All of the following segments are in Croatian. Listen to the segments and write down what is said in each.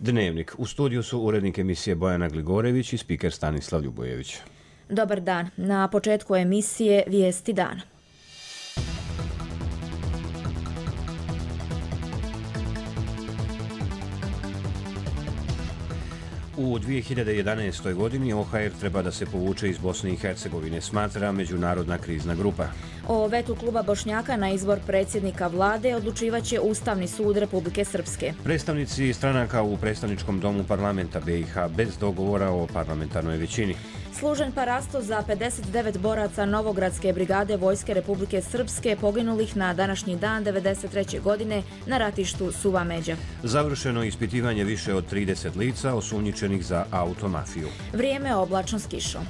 Dnevnik. U studiju su urednik emisije Bojana Gligorević i spiker Stanislav Ljubojević. Dobar dan. Na početku emisije Vijesti dana. U 2011. godini OHR treba da se povuče iz Bosne i Hercegovine, smatra Međunarodna krizna grupa. O vetu kluba Bošnjaka na izbor predsjednika vlade odlučivaće Ustavni sud Republike Srpske. Predstavnici stranaka u predstavničkom domu parlamenta BiH bez dogovora o parlamentarnoj većini. Služen parasto za 59 boraca Novogradske brigade Vojske Republike Srpske poginulih na današnji dan 1993. godine na ratištu Suva Međa. Završeno ispitivanje više od 30 lica osumnjičenih za automafiju. Vrijeme oblačno s kišom.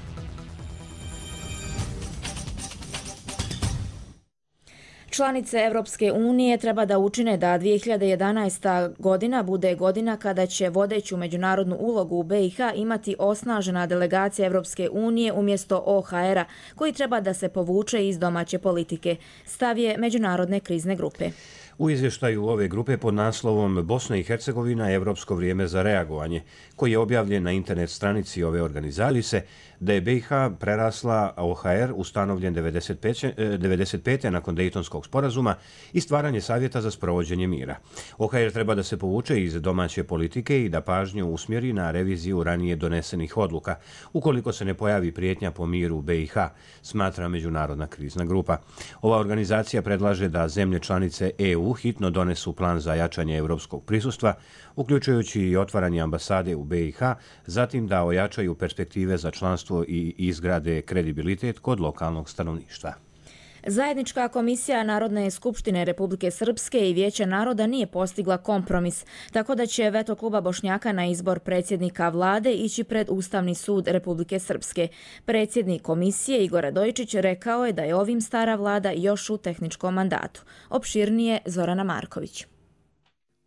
Članice Europske unije treba da učine da 2011. godina bude godina kada će vodeću međunarodnu ulogu u BiH imati osnažena delegacija Europske unije umjesto OHR-a, koji treba da se povuče iz domaće politike. Stav je Međunarodne krizne grupe. U izvještaju ove grupe pod naslovom Bosna i Hercegovina – Evropsko vrijeme za reagovanje, koji je objavljen na internet stranici ove organizacije, se da je BiH prerasla OHR ustanovljen 1995. nakon Dejtonskog sporazuma i stvaranje savjeta za sprovođenje mira. OHR treba da se povuče iz domaće politike i da pažnju usmjeri na reviziju ranije donesenih odluka, ukoliko se ne pojavi prijetnja po miru u BiH, smatra Međunarodna krizna grupa. Ova organizacija predlaže da zemlje članice EU hitno donesu plan za jačanje europskog prisustva, uključujući i otvaranje ambasade u BiH, zatim da ojačaju perspektive za članstvo i izgrade kredibilitet kod lokalnog stanovništva. Zajednička komisija Narodne skupštine Republike Srpske i Vijeća naroda nije postigla kompromis, tako da će veto kluba Bošnjaka na izbor predsjednika vlade ići pred Ustavni sud Republike Srpske. Predsjednik komisije Igor Radojičić rekao je da je ovim stara vlada još u tehničkom mandatu. Opširnije Zorana Marković.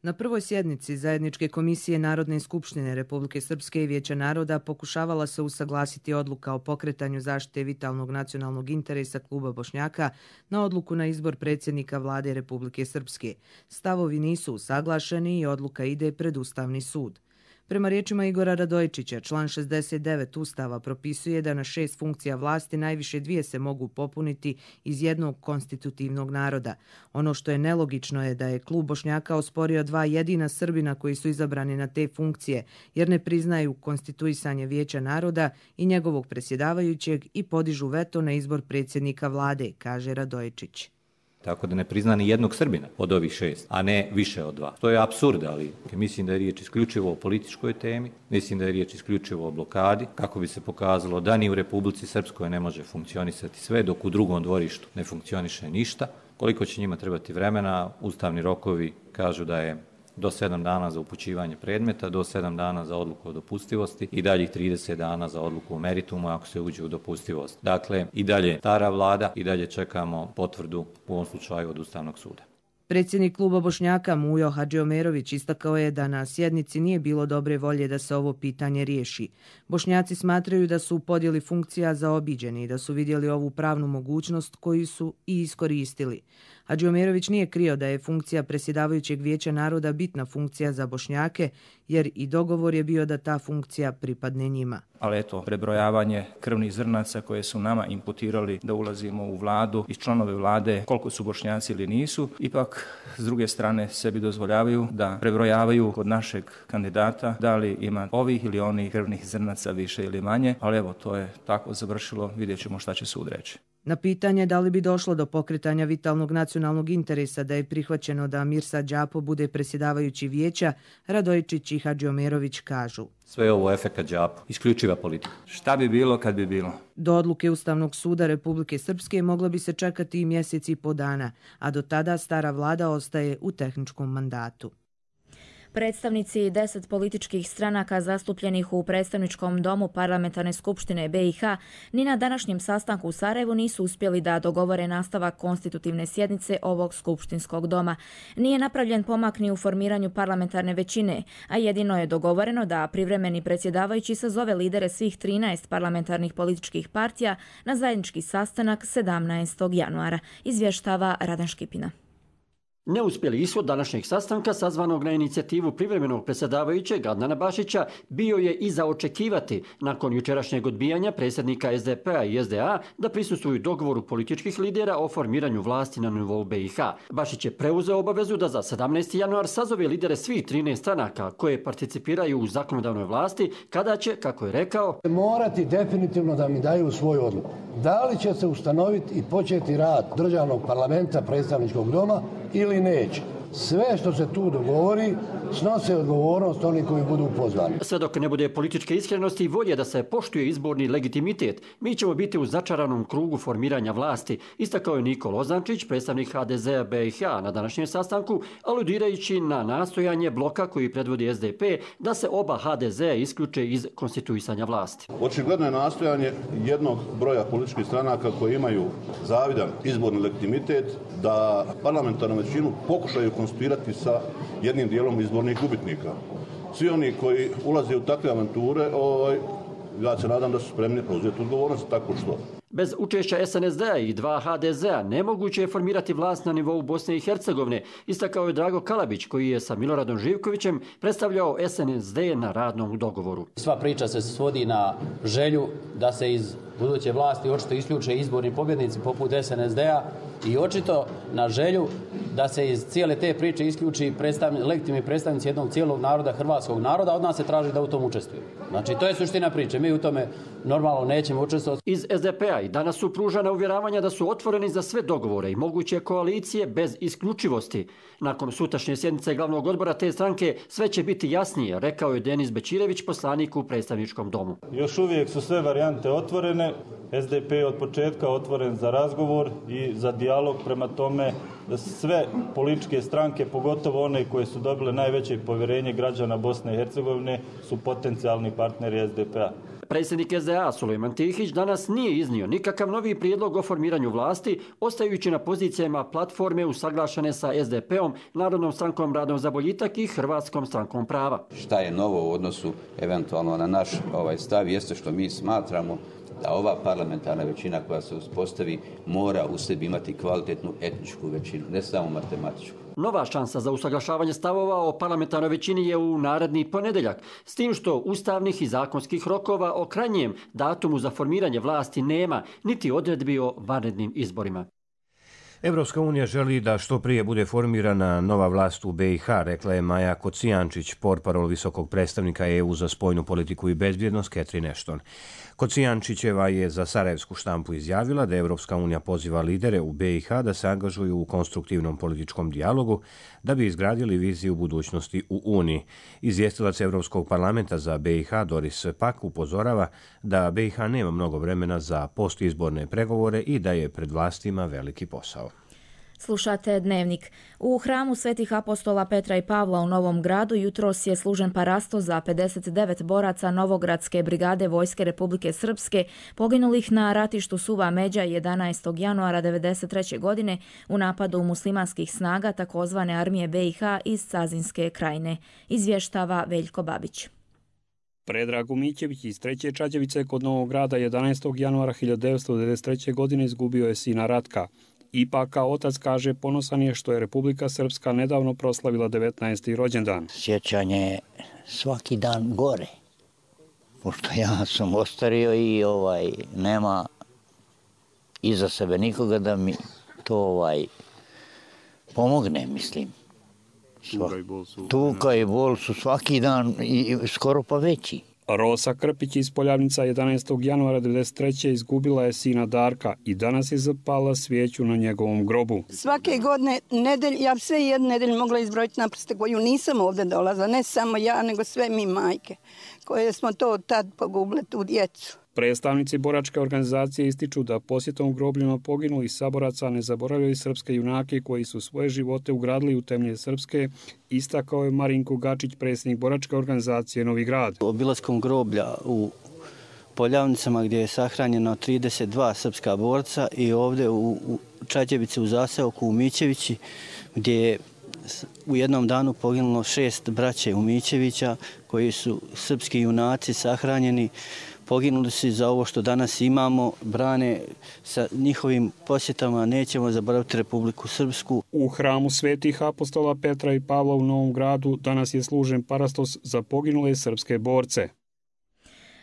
Na prvoj sjednici Zajedničke komisije Narodne skupštine Republike Srpske i Vijeća naroda pokušavala se usaglasiti odluka o pokretanju zaštite vitalnog nacionalnog interesa kluba Bošnjaka na odluku na izbor predsjednika vlade Republike Srpske. Stavovi nisu usaglašeni i odluka ide pred Ustavni sud. Prema riječima Igora Radojičića, član 69 Ustava propisuje da na 6 funkcija vlasti najviše 2 se mogu popuniti iz jednog konstitutivnog naroda. Ono što je nelogično je da je klub Bošnjaka osporio 2 jedina Srbina koji su izabrani na te funkcije, jer ne priznaju konstituisanje Vijeća naroda i njegovog predsjedavajućeg i podižu veto na izbor predsjednika vlade, kaže Radojičić. Tako da ne prizna ni jednog Srbina od ovih 6, a ne više od 2. To je apsurd, ali mislim da je riječ isključivo o političkoj temi, mislim da je riječ isključivo o blokadi, kako bi se pokazalo da ni u Republici Srpskoj ne može funkcionisati sve, dok u drugom dvorištu ne funkcioniše ništa. Koliko će njima trebati vremena, ustavni rokovi kažu da je do 7 dana za upućivanje predmeta, do 7 dana za odluku o dopustivosti i daljih 30 dana za odluku o meritumu ako se uđe u dopustivost. Dakle, i dalje stara vlada, i dalje čekamo potvrdu u ovom slučaju od Ustavnog suda. Predsjednik kluba Bošnjaka Mujo Hadžiomerović istakao je da na sjednici nije bilo dobre volje da se ovo pitanje riješi. Bošnjaci smatraju da su u podjeli funkcija zaobiđeni i da su vidjeli ovu pravnu mogućnost koju su i iskoristili. Hadžiomerović nije krio da je funkcija predsjedavajućeg Vijeća naroda bitna funkcija za Bošnjake, jer i dogovor je bio da ta funkcija pripadne njima. Ali eto, prebrojavanje krvnih zrnaca koje su nama imputirali da ulazimo u vladu i članove vlade, koliko su Bošnjaci ili nisu, ipak s druge strane sebi dozvoljavaju da prebrojavaju kod našeg kandidata da li ima ovih ili onih krvnih zrnaca više ili manje, ali evo, to je tako završilo, vidjet ćemo šta će sud reći. Na pitanje da li bi došlo do pokretanja vitalnog nacionalnog interesa da je prihvaćeno da Mirsad Džapo bude predsjedavajući vijeća, Radojičić i Hadžiomerović kažu: Sve je ovo efekat Džapo, isključiva politika. Šta bi bilo kad bi bilo? Do odluke Ustavnog suda Republike Srpske moglo bi se čekati i mjesec i po dana, a do tada stara vlada ostaje u tehničkom mandatu. Predstavnici 10 političkih stranaka zastupljenih u predstavničkom domu Parlamentarne skupštine BiH ni na današnjem sastanku u Sarajevu nisu uspjeli da dogovore nastavak konstitutivne sjednice ovog skupštinskog doma. Nije napravljen pomak ni u formiranju parlamentarne većine, a jedino je dogovoreno da privremeni predsjedavajući sazove lidere svih 13 parlamentarnih političkih partija na zajednički sastanak 17. januara, izvještava Radan Škipina. Neuspjeli ishod današnjeg sastanka sazvanog na inicijativu privremenog predsjedavajućeg Adnana Bašića bio je i za očekivati nakon jučerašnjeg odbijanja predsjednika SDP-a i SDA da prisustvuju dogovoru političkih lidera o formiranju vlasti na nivou BiH. Bašić je preuzeo obavezu da za 17. januar sazove lidere svih 13 stranaka koje participiraju u zakonodavnoj vlasti, kada će, kako je rekao, morati definitivno da mi daju svoju odluku. Da li će se ustanoviti i početi rad državnog parlamenta, predstavničkog doma ili neće. Sve što se tu dogovori snose odgovornost oni koji budu pozvani. Sve dok ne bude političke iskrenosti i volje da se poštuje izborni legitimitet, mi ćemo biti u začaranom krugu formiranja vlasti, istakao je Niko Lozančić, predstavnik HDZ-a BiH na današnjem sastanku, aludirajući na nastojanje bloka koji predvodi SDP da se oba HDZ-a isključe iz konstituisanja vlasti. Očigledno je nastojanje jednog broja političkih stranaka koji imaju zavidan izborni legitimitet da parlamentarnu većinu pokušaju konstituirati sa jednim dijelom izbornih gubitnika. Svi oni koji ulaze u takve avanture, ja se nadam da su spremni preuzeti odgovornost tako što. Bez učešća SNSD-a i 2 HDZ-a nemoguće je formirati vlast na nivou Bosne i Hercegovine, istakao je Drago Kalabić koji je sa Miloradom Živkovićem predstavljao SNSD na radnom dogovoru. Sva priča se svodi na želju da se iz buduće vlasti očito isključe izborni pobjednici poput SNSD-a i očito na želju da se iz cijele te priče isključi legitimni predstavnici jednog cijelog naroda, hrvatskog naroda, od nas se traži da u tom učestvuju. Znači, to je suština priče. Mi u tome normalno nećemo učestvovati. Iz SDP-a i danas su pružana uvjeravanja da su otvoreni za sve dogovore i moguće koalicije bez isključivosti. Nakon sutrašnje sjednice glavnog odbora te stranke sve će biti jasnije, rekao je Denis Bećirević, poslanik u predstavničkom domu. Još uvijek su sve varijante otvorene. SDP je od početka otvoren za razgovor i za dijalog, prema tome da sve političke stranke, pogotovo one koje su dobile najveće povjerenje građana Bosne i Hercegovine, su potencijalni partneri SDP-a. Predsjednik SDA Sulejman Tihić danas nije iznio nikakav novi prijedlog o formiranju vlasti, ostajući na pozicijama platforme usaglašene sa SDP-om, Narodnom strankom Radom za boljitak i Hrvatskom strankom prava. Šta je novo u odnosu eventualno na naš stav jeste što mi smatramo da ova parlamentarna većina koja se uspostavi mora u sebi imati kvalitetnu etničku većinu, ne samo matematičku. Nova šansa za usaglašavanje stavova o parlamentarnoj većini je u naredni ponedjeljak, s tim što ustavnih i zakonskih rokova o krajnjem datumu za formiranje vlasti nema, niti odredbi o vanrednim izborima. Evropska unija želi da što prije bude formirana nova vlast u BiH, rekla je Maja Kocijančić, portparol visokog predstavnika EU za spoljnu politiku i bezbjednost Catherine Ashton. Kocijančićeva je za sarajevsku štampu izjavila da Evropska unija poziva lidere u BiH da se angažuju u konstruktivnom političkom dijalogu da bi izgradili viziju budućnosti u Uniji. Izvjestilac Evropskog parlamenta za BiH Doris Pack upozorava da BiH nema mnogo vremena za postizborne pregovore i da je pred vlastima veliki posao. Slušate Dnevnik. U hramu Svetih apostola Petra i Pavla u Novom Gradu jutros je služen parasto za 59 boraca Novogradske brigade Vojske Republike Srpske poginulih na ratištu Suva Međa 11. januara 1993. godine u napadu muslimanskih snaga takozvane armije BiH iz Cazinske krajine. Izvještava Veljko Babić. Predrag Mićević iz 3. Čađevice kod Novog Grada 11. januara 1993. godine izgubio je sina Ratka. Ipak, kao otac kaže, ponosan je što je Republika Srpska nedavno proslavila 19. rođendan. Sjećanje je svaki dan gore, pošto ja sam ostario i nema iza sebe nikoga da mi to pomogne, mislim. Tuga i bol su svaki dan i skoro pa veći. Rosa Krpić iz Poljavnica 11. januara 1993. izgubila je sina Darka i danas je zapala svijeću na njegovom grobu. Svake godine, ja sve jedne nedelje mogla izbrojiti na prste koju nisam ovdje dolazila, ne samo ja, nego sve mi majke, koje smo to tad pogubile, tu djecu. Predstavnici boračke organizacije ističu da posjetom grobljima poginulih saboraca ne zaboravljaju srpske junake koji su svoje živote ugradili u temelje Srpske, istakao je Marinko Gačić, predsjednik boračke organizacije Novi Grad. Obilaskom groblja u Poljavnicama gdje je sahranjeno 32 srpska borca i ovdje u Čađevici u zaseoku u Mićevići gdje je u jednom danu poginulo 6 braće Umićevića koji su srpski junaci sahranjeni. Poginuli su za ovo što danas imamo, brane sa njihovim posjetama, nećemo zaboraviti Republiku Srpsku. U hramu svetih apostola Petra i Pavla u Novom Gradu danas je služen parastos za poginule srpske borce.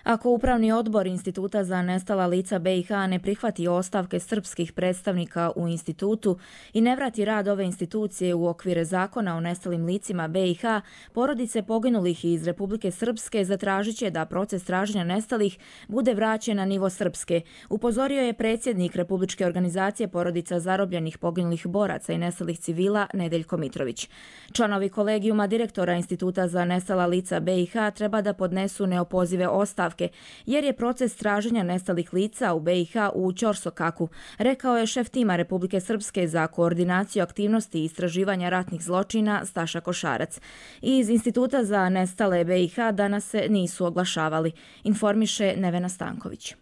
Ako Upravni odbor Instituta za nestala lica BiH ne prihvati ostavke srpskih predstavnika u institutu i ne vrati rad ove institucije u okvire zakona o nestalim licima BiH, porodice poginulih iz Republike Srpske zatražit će da proces traženja nestalih bude vraćen na nivo Srpske, upozorio je predsjednik Republičke organizacije porodica zarobljenih poginulih boraca i nestalih civila Nedeljko Mitrović. Članovi kolegijuma direktora Instituta za nestala lica BiH treba da podnesu neopozive ostavke, jer je proces traženja nestalih lica u BiH u ćorsokaku, rekao je šef tima Republike Srpske za koordinaciju aktivnosti i istraživanja ratnih zločina Staša Košarac. Iz Instituta za nestale BiH danas se nisu oglašavali, informiše Nevena Stanković.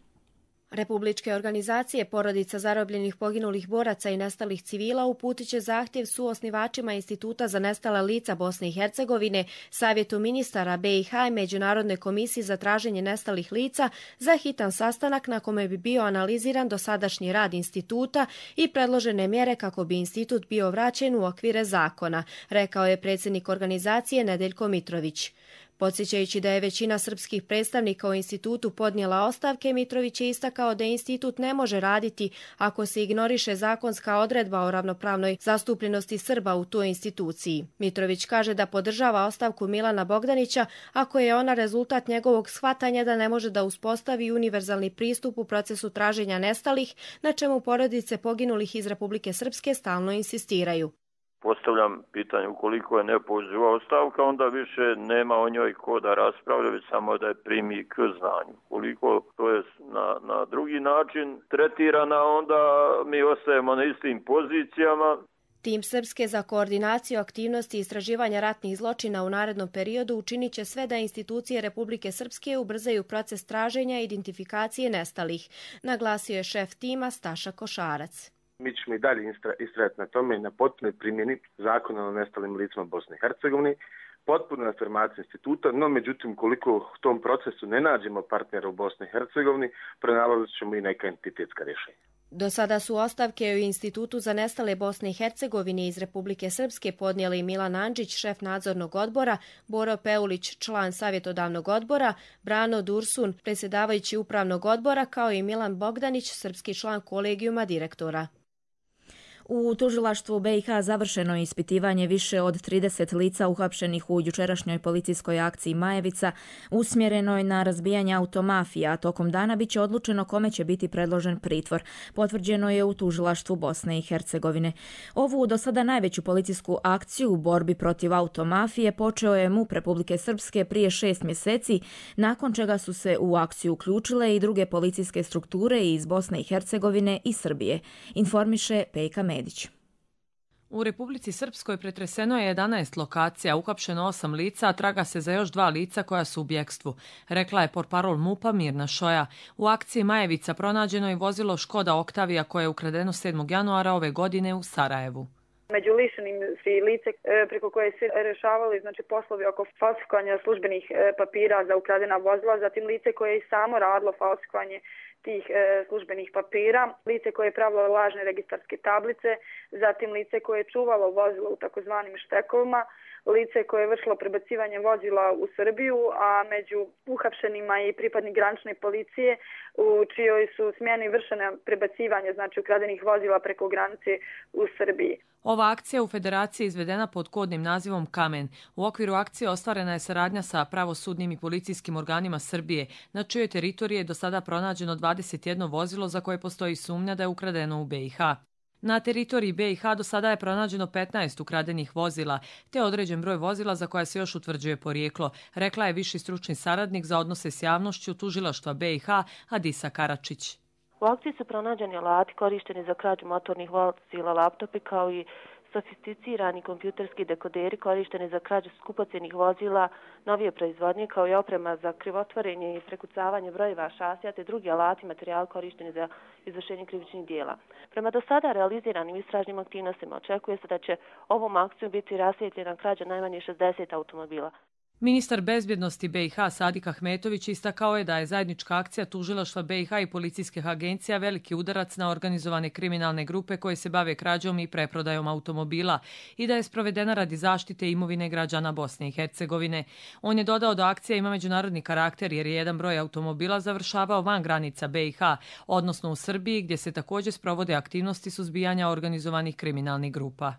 Republičke organizacije porodica zarobljenih poginulih boraca i nestalih civila uputit će zahtjev suosnivačima Instituta za nestala lica Bosne i Hercegovine, Savjetu ministara BiH i Međunarodnoj komisiji za traženje nestalih lica za hitan sastanak na kome bi bio analiziran dosadašnji rad instituta i predložene mjere kako bi institut bio vraćen u okvire zakona, rekao je predsjednik organizacije Nedeljko Mitrović. Podsjećajući da je većina srpskih predstavnika u institutu podnijela ostavke, Mitrović je istakao da institut ne može raditi ako se ignoriše zakonska odredba o ravnopravnoj zastupljenosti Srba u toj instituciji. Mitrović kaže da podržava ostavku Milana Bogdanića ako je ona rezultat njegovog shvatanja da ne može da uspostavi univerzalni pristup u procesu traženja nestalih, na čemu porodice poginulih iz Republike Srpske stalno insistiraju. Postavljam pitanje, ukoliko je neopoziva ostavka, onda više nema o njoj ko da raspravlja, već samo da je primi k znanju. Ukoliko to je na drugi način tretirana, onda mi ostajemo na istim pozicijama. Tim Srpske za koordinaciju aktivnosti i istraživanja ratnih zločina u narednom periodu učinit će sve da institucije Republike Srpske ubrzaju proces traženja i identifikacije nestalih, naglasio je šef tima Staša Košarac. Mi ćemo i dalje istrajati na tome i na potpunoj primjeni zakona o nestalim licima Bosne i Hercegovine, potpuno afirmaciju instituta, no međutim koliko u tom procesu ne nađemo partnera u Bosni i Hercegovini, pronalazit ćemo i neka entitetska rješenja. Do sada su ostavke u Institutu za nestale Bosne i Hercegovine iz Republike Srpske podnijeli Milan Andžić, šef nadzornog odbora, Boro Peulić, član savjetodavnog odbora, Brano Dursun, predsjedavajući upravnog odbora, kao i Milan Bogdanić, srpski član kolegijuma direktora. U tužilaštvu BiH završeno je ispitivanje više od 30 lica uhapšenih u jučerašnjoj policijskoj akciji Majevica, usmjerenoj na razbijanje automafija, a tokom dana biće odlučeno kome će biti predložen pritvor. Potvrđeno je u tužilaštvu Bosne i Hercegovine. Ovu do sada najveću policijsku akciju u borbi protiv automafije počeo je MUP Republike Srpske prije 6 mjeseci, nakon čega su se u akciju uključile i druge policijske strukture iz Bosne i Hercegovine i Srbije, informiše Pejka Medić. U Republici Srpskoj pretreseno je 11 lokacija, uhapšeno 8 lica, a traga se za još 2 lica koja su u bjekstvu, rekla je portparol MUP-a Mirna Šoja. U akciji Majevica pronađeno je vozilo Škoda Oktavija koje je ukradeno 7. januara ove godine u Sarajevu. Među lišenim su lice preko koje se rešavali poslovi oko falsifikovanja službenih papira za ukradena vozila, zatim lice koje je samo radilo falsifikovanje tih službenih papira, lice koje je pravilo lažne registarske tablice, zatim lice koje je čuvalo vozilo u takozvanim štekovima, lice koje je vršilo prebacivanje vozila u Srbiju, a među uhapšenima je i pripadnik granične policije u čijoj su smjeni vršene prebacivanje ukradenih vozila preko granice u Srbiji. Ova akcija u Federaciji je izvedena pod kodnim nazivom Kamen. U okviru akcije ostvarena je saradnja sa pravosudnim i policijskim organima Srbije, na čijoj teritoriji je do sada pronađeno 21 vozilo za koje postoji sumnja da je ukradeno u BiH. Na teritoriji BiH do sada je pronađeno 15 ukradenih vozila, te određen broj vozila za koja se još utvrđuje porijeklo, rekla je viši stručni saradnik za odnose s javnošću tužilaštva BiH Adisa Karačić. U akciji su pronađeni alati korišteni za krađu motornih vozila, laptopi kao i sofisticirani kompjuterski dekoderi korišteni za krađu skupocjenih vozila novije proizvodnje, kao i oprema za krivotvorenje i prekucavanje brojeva šasija te drugi alati i materijal korišteni za izvršenje krivičnih dijela. Prema do sada realiziranim istražnim aktivnostima očekuje se da će ovom akcijom biti rasvijetljena krađa najmanje 60 automobila. Ministar bezbjednosti BiH Sadik Ahmetović istakao je da je zajednička akcija tužilaštva BiH i policijskih agencija veliki udarac na organizovane kriminalne grupe koje se bave krađom i preprodajom automobila i da je sprovedena radi zaštite imovine građana Bosne i Hercegovine. On je dodao da akcija ima međunarodni karakter jer je jedan broj automobila završavao van granica BiH, odnosno u Srbiji, gdje se također sprovode aktivnosti suzbijanja organizovanih kriminalnih grupa.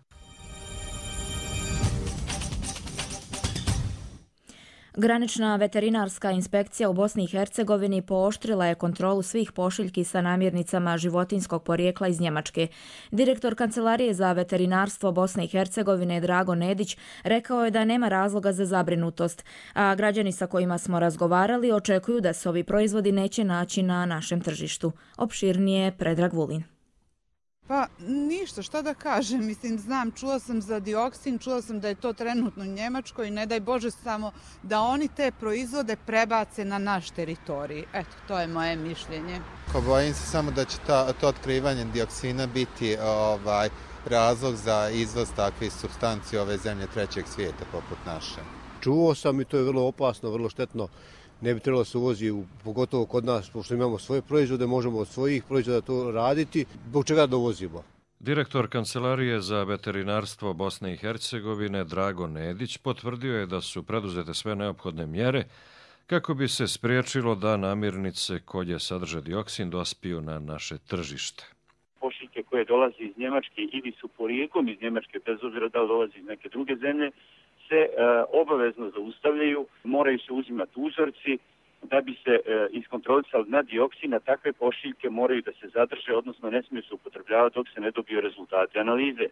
Granična veterinarska inspekcija u Bosni i Hercegovini pooštrila je kontrolu svih pošiljki sa namirnicama životinjskog porijekla iz Njemačke. Direktor Kancelarije za veterinarstvo Bosne i Hercegovine Drago Nedić rekao je da nema razloga za zabrinutost, a građani sa kojima smo razgovarali očekuju da se ovi proizvodi neće naći na našem tržištu. Opširnije Predrag Vulin. Pa ništa, šta da kažem, mislim, čula sam za dioksin, čula sam da je to trenutno u Njemačkoj i ne daj Bože samo da oni te proizvode prebace na naš teritorij. Eto, to je moje mišljenje. Bojim se samo da će to otkrivanje dioksina biti razlog za izvoz takvih supstanci ove zemlje trećeg svijeta poput naše. Čuo sam i to je vrlo opasno, vrlo štetno. Ne bi trebalo se uvozi, pogotovo kod nas, pošto imamo svoje proizvode, možemo od svojih proizvoda to raditi, zbog čega dovozimo. Direktor Kancelarije za veterinarstvo Bosne i Hercegovine Drago Nedić potvrdio je da su preduzete sve neophodne mjere kako bi se spriječilo da namirnice koje sadrže dioksin dospiju na naše tržište. Pošiljke koje dolaze iz Njemačke ili su porijeklom iz Njemačke, bez obzira da li dolaze iz neke druge zemlje, se obavezno zaustavljaju, moraju se uzimati uzorci da bi se iskontrolisali na dioksin, a takve pošiljke moraju da se zadrže, odnosno ne smiju se upotrebljavati dok se ne dobiju rezultati analize.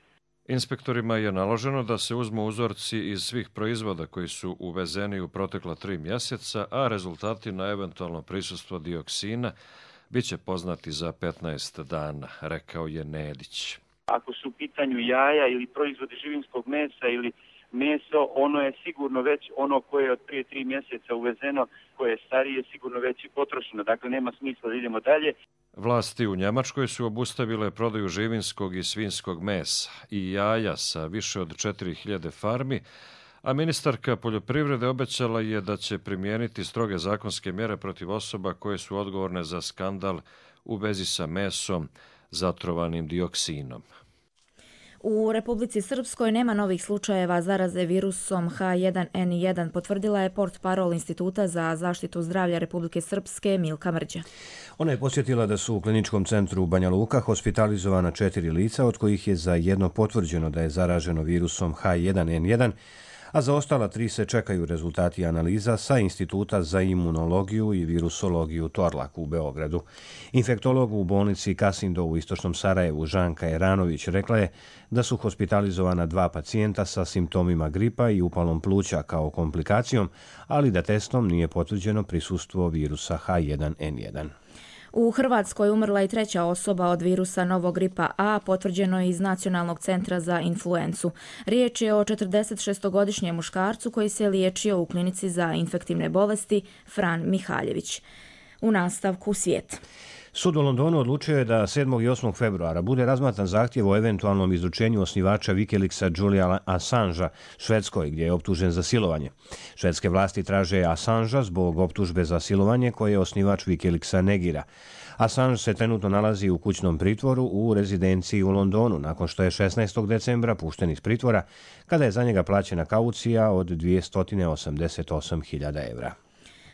Inspektorima je naloženo da se uzmu uzorci iz svih proizvoda koji su uvezeni u protekla 3 mjeseca, a rezultati na eventualno prisustvo dioksina bit će poznati za 15 dana, rekao je Nedić. Ako su u pitanju jaja ili proizvodi živinskog mesa ili meso, ono je sigurno već ono koje je od prije 3 mjeseca uvezeno, koje je starije, sigurno već i potrošeno. Dakle, nema smisla da idemo dalje. Vlasti u Njemačkoj su obustavile prodaju živinskog i svinjskog mesa i jaja sa više od 4000 farmi, a ministarka poljoprivrede obećala je da će primijeniti stroge zakonske mjere protiv osoba koje su odgovorne za skandal u vezi sa mesom zatrovanim dioksinom. U Republici Srpskoj nema novih slučajeva zaraze virusom H1N1, potvrdila je portparol Instituta za zaštitu zdravlja Republike Srpske Milka Mrđa. Ona je podsjetila da su u kliničkom centru Banja Luka hospitalizovana 4 lica, od kojih je za jedno potvrđeno da je zaraženo virusom H1N1, a za ostala 3 se čekaju rezultati analiza sa Instituta za imunologiju i virusologiju Torlak u Beogradu. Infektolog u bolnici Kasindo u istočnom Sarajevu Žanka Eranović rekla je da su hospitalizovana 2 pacijenta sa simptomima gripa i upalom pluća kao komplikacijom, ali da testom nije potvrđeno prisustvo virusa H1N1. U Hrvatskoj umrla i 3. osoba od virusa novog gripa A, potvrđeno je iz Nacionalnog centra za influencu. Riječ je o 46-godišnjem muškarcu koji se liječio u klinici za infektivne bolesti Fran Mihaljević. U nastavku svijet. Sud u Londonu odlučio je da 7. i 8. februara bude razmatran zahtjev o eventualnom izručenju osnivača Wikileaksa Juliana Assangea Švedskoj, gdje je optužen za silovanje. Švedske vlasti traže Assangea zbog optužbe za silovanje koje osnivač Wikileaksa negira. Assange se trenutno nalazi u kućnom pritvoru u rezidenciji u Londonu, nakon što je 16. decembra pušten iz pritvora, kada je za njega plaćena kaucija od 288.000 evra.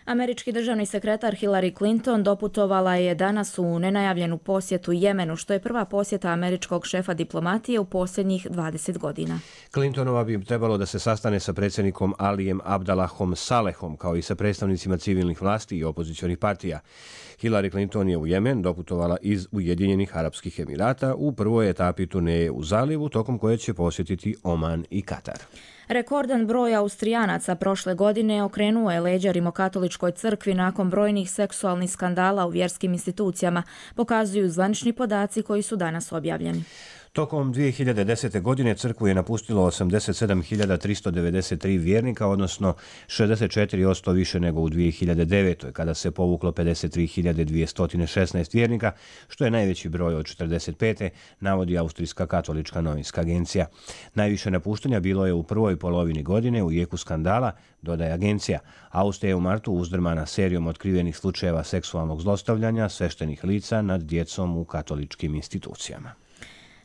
Američki državni sekretar Hillary Clinton doputovala je danas u nenajavljenu posjetu Jemenu, što je prva posjeta američkog šefa diplomatije u posljednjih 20 godina. Clintonova bi trebalo da se sastane sa predsjednikom Alijem Abdalahom Salehom, kao i sa predstavnicima civilnih vlasti i opozicionih partija. Hillary Clinton je u Jemen doputovala iz Ujedinjenih Arapskih Emirata u prvoj etapi turneje u zalivu, tokom koje će posjetiti Oman i Katar. Rekordan broj Austrijanaca prošle godine okrenuo je leđa Rimokatoličkoj crkvi nakon brojnih seksualnih skandala u vjerskim institucijama, pokazuju zvanični podaci koji su danas objavljeni. Tokom 2010. godine crkvu je napustilo 87.393 vjernika, odnosno 64% više nego u 2009. kada se povuklo 53.216 vjernika, što je najveći broj od 45. navodi Austrijska katolička novinska agencija. Najviše napuštanja bilo je u prvoj polovini godine u jeku skandala, dodaje agencija. Austrija je u martu uzdrmana serijom otkrivenih slučajeva seksualnog zlostavljanja sveštenih lica nad djecom u katoličkim institucijama.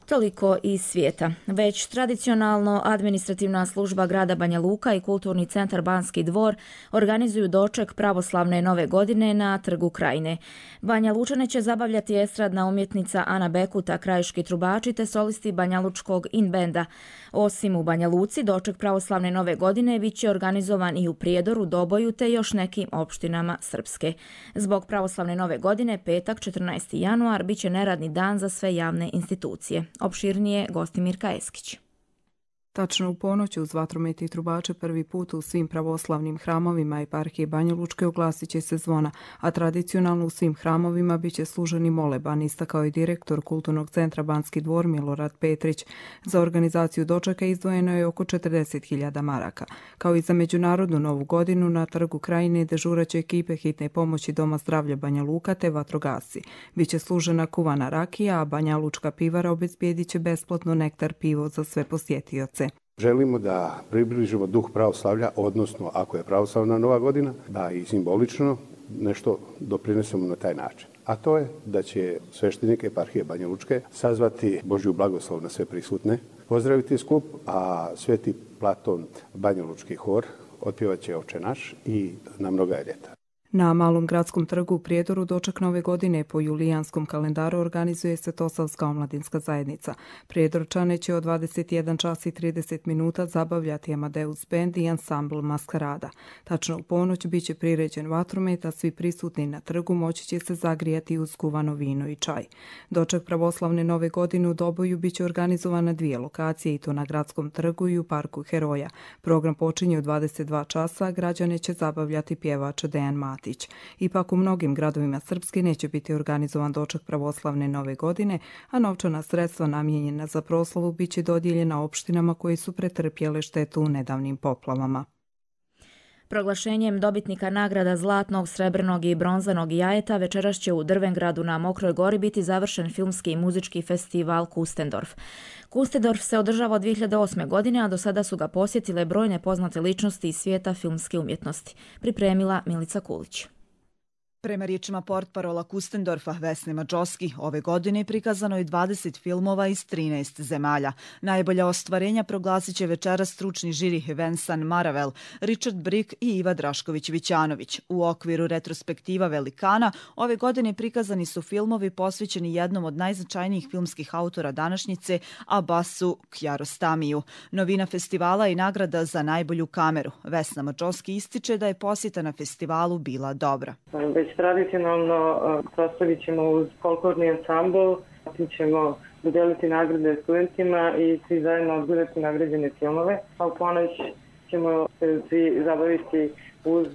Toliko iz svijeta. Već tradicionalno administrativna služba grada Banja Luka i kulturni centar Banski dvor organizuju doček pravoslavne nove godine na Trgu Krajine. Banja Lučane će zabavljati estradna umjetnica Ana Bekuta, krajiški trubači te solisti banjalučkog in-benda. Osim u Banja Luci, doček pravoslavne nove godine bit će organizovan i u Prijedoru, Doboju te još nekim opštinama Srpske. Zbog pravoslavne nove godine, petak 14. januar, bit će neradni dan za sve javne institucije. Opširnije Gostimirka Eskić. Tačno u ponoć uz vatromet i trubače prvi put u svim pravoslavnim hramovima eparhije Banja Lučke oglasit će se zvona, a tradicionalno u svim hramovima bit će služeni moleban, istakao je direktor kulturnog centra Banski dvor Milorad Petrić. Za organizaciju dočeka izdvojeno je oko 40.000 maraka. Kao i za međunarodnu novu godinu na Trgu Krajine dežuraće ekipe hitne pomoći Doma zdravlja Banja Luka te vatrogasci. Biće služena kuvana rakija, a Banja Lučka pivara obezbijedit će besplatno nektar pivo za sve posjetioce. Želimo da približimo duh pravoslavlja, odnosno ako je pravoslavna nova godina, da i simbolično nešto doprinesemo na taj način. A to je da će sveštenike eparhije Banja Lučke sazvati Božju blagoslov na sve prisutne, pozdraviti skup, a Sveti Platon Banja Lučki hor otpjevat će Oče naš i Na mnoga je ljeta. Na Malom gradskom trgu u Prijedoru doček nove godine po julijanskom kalendaru organizuje se Tosavska omladinska zajednica. Prijedorčane će od 21 čas i 30 minuta zabavljati Amadeus Band i ansambl Maskarada. Tačno u ponoć bit će priređen vatromet, a svi prisutni na trgu moći će se zagrijati uz kuvano vino i čaj. Doček pravoslavne nove godine u Doboju bit će organizovan na 2 lokacije, i to na gradskom trgu i u parku Heroja. Program počinje u 22 časa, a građane će zabavljati pjevač Dejan Matić. Ipak u mnogim gradovima Srpske neće biti organizovan doček pravoslavne nove godine, a novčana sredstva namijenjena za proslavu bit će dodijeljena opštinama koje su pretrpjele štetu u nedavnim poplavama. Proglašenjem dobitnika nagrada zlatnog, srebrnog i bronzanog jajeta večeras će u Drvengradu na Mokroj Gori biti završen filmski i muzički festival Kustendorf. Kustendorf se održava od 2008. godine, a do sada su ga posjetile brojne poznate ličnosti iz svijeta filmske umjetnosti. Pripremila Milica Kulić. Prema riječima portparola Kustendorfa Vesne Mađoski, ove godine prikazano je 20 filmova iz 13 zemalja. Najbolja ostvarenja proglasit će večeras stručni žiri Vensan Maravel, Richard Brick i Iva Drašković-Vićanović. U okviru retrospektiva Velikana ove godine prikazani su filmovi posvećeni jednom od najznačajnijih filmskih autora današnjice, Abbasu Kiarostamiju. Novina festivala je nagrada za najbolju kameru. Vesna Mađoski ističe da je posjeta na festivalu bila dobra. Tradicionalno proslavit ćemo uz folklorni ansambl, zatim ćemo dodeliti nagrade studentima i svi zajedno odgledati nagrađene filmove, a u ponoć ćemo se svi zabaviti uz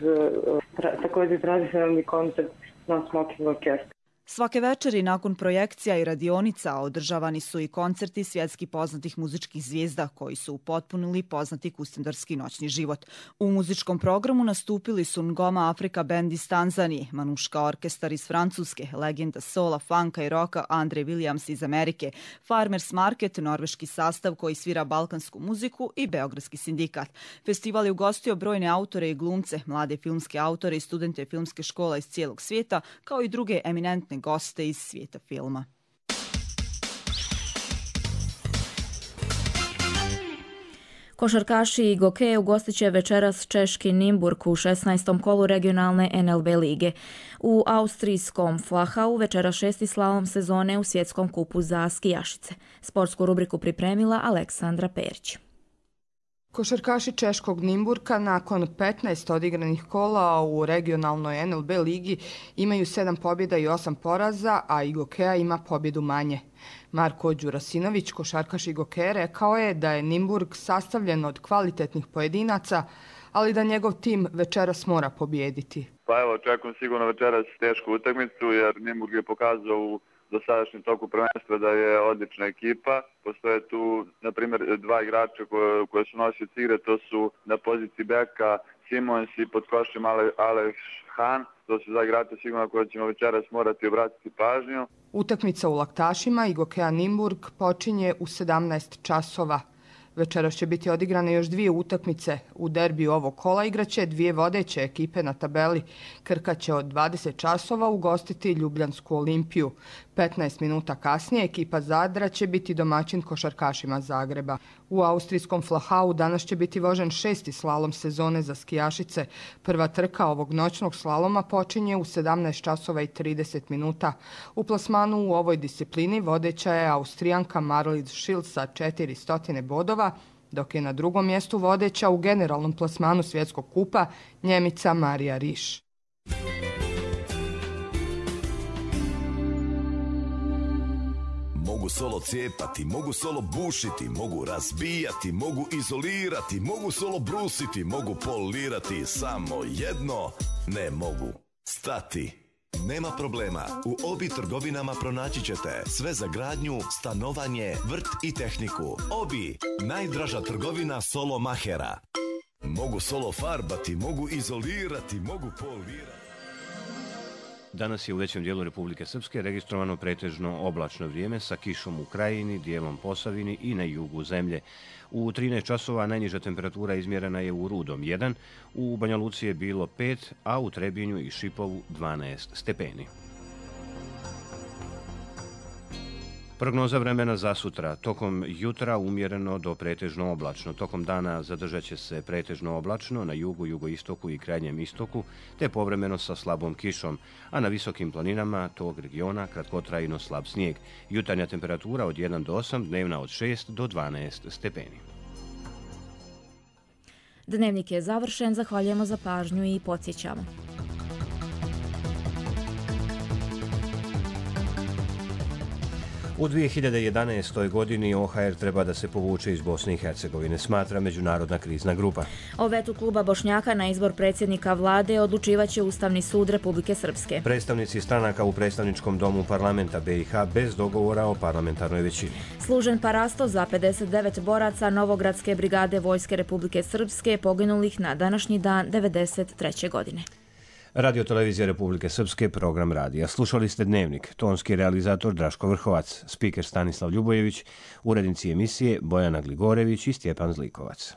također tradicionalni koncert na Smoking Orkestra. Svake večeri nakon projekcija i radionica održavani su i koncerti svjetski poznatih muzičkih zvijezda koji su upotpunili poznati kustendorski noćni život. U muzičkom programu nastupili su Ngoma Afrika band iz Tanzanije, Manuška orkestar iz Francuske, legenda sola, funka i roka Andre Williams iz Amerike, Farmers Market, norveški sastav koji svira balkansku muziku i Beogradski sindikat. Festival je ugostio brojne autore i glumce, mlade filmske autore i studente filmske škola iz cijelog svijeta, kao i druge eminentne goste iz svijeta filma. Košarkaši i Goke ugostit će večeras češki Nimburg u 16. kolu regionalne NLB lige. U austrijskom Flachau večeras 6. slalom sezone u svjetskom kupu za skijašice. Sportsku rubriku pripremila Aleksandra Perić. Košarkaši češkog Nimburka nakon 15 odigranih kola u regionalnoj NLB ligi imaju 7 pobjeda i 8 poraza, a Igokea ima pobjedu manje. Marko Đurasinović, košarkaš Igokea, rekao je da je Nimburg sastavljen od kvalitetnih pojedinaca, ali da njegov tim večeras mora pobijediti. Pa evo, očekujem sigurno večeras tešku utakmicu jer Nimburg je pokazao dosadašnjem toku prvenstva da je odlična ekipa. Postoje tu, na primjer, 2 igrača koje su nosioci igre, to su na poziciji beka Simons i pod košem Aleš Han. To su 2 igrača sigurno koje ćemo večeras morati obratiti pažnju. Utakmica u Laktašima IGOK-a Nimburg počinje u 17 časova. Večeras će biti odigrane još 2 utakmice. U derbiju ovog kola igraće 2 vodeće ekipe na tabeli. Krka će od 20 časova ugostiti Ljubljansku Olimpiju. 15 minuta kasnije ekipa Zadra će biti domaćin košarkašima Zagreba. U austrijskom Flachau danas će biti vožen 6. slalom sezone za skijašice. Prva trka ovog noćnog slaloma počinje u 17 časova i 30 minuta. U plasmanu u ovoj disciplini vodeća je Austrijanka Marlies Schild sa 400 bodova, dok je na drugom mjestu vodeća u generalnom plasmanu svjetskog kupa Njemica Marija Riš. Mogu solo cijepati, mogu solo bušiti, mogu razbijati, mogu izolirati, mogu solo brusiti, mogu polirati, samo jedno ne mogu stati. Nema problema, u Obi trgovinama pronaći ćete sve za gradnju, stanovanje, vrt i tehniku. Obi, najdraža trgovina solo mahera. Mogu solo farbati, mogu izolirati, mogu polirati. Danas je u većem dijelu Republike Srpske registrovano pretežno oblačno vrijeme sa kišom u Krajini, dijelom Posavini i na jugu zemlje. U 13 časova najniža temperatura izmjerena je u Rudom 1, u Banja Luci je bilo 5, a u Trebinju i Šipovu 12 stepeni. Prognoza vremena za sutra. Tokom jutra umjereno do pretežno oblačno. Tokom dana zadržat će se pretežno oblačno na jugu, jugoistoku i krajnjem istoku, te povremeno sa slabom kišom, a na visokim planinama tog regiona kratkotrajno slab snijeg. Jutarnja temperatura od 1 do 8, dnevna od 6 do 12 stepeni. Dnevnik je završen, zahvaljujemo za pažnju i podsjećamo. U 2011. godini OHR treba da se povuče iz Bosne i Hercegovine, smatra Međunarodna krizna grupa. O vetu kluba Bošnjaka na izbor predsjednika vlade odlučivaće Ustavni sud Republike Srpske. Predstavnici stranaka u predstavničkom domu parlamenta BiH bez dogovora o parlamentarnoj većini. Služen parasto za 59 boraca Novogradske brigade Vojske Republike Srpske poginulih na današnji dan 1993. godine. Radio Televizija Republike Srpske, program radija. Slušali ste Dnevnik, tonski realizator Draško Vrhovac, spiker Stanislav Ljubojević, urednici emisije Bojana Gligorević i Stjepan Zlikovac.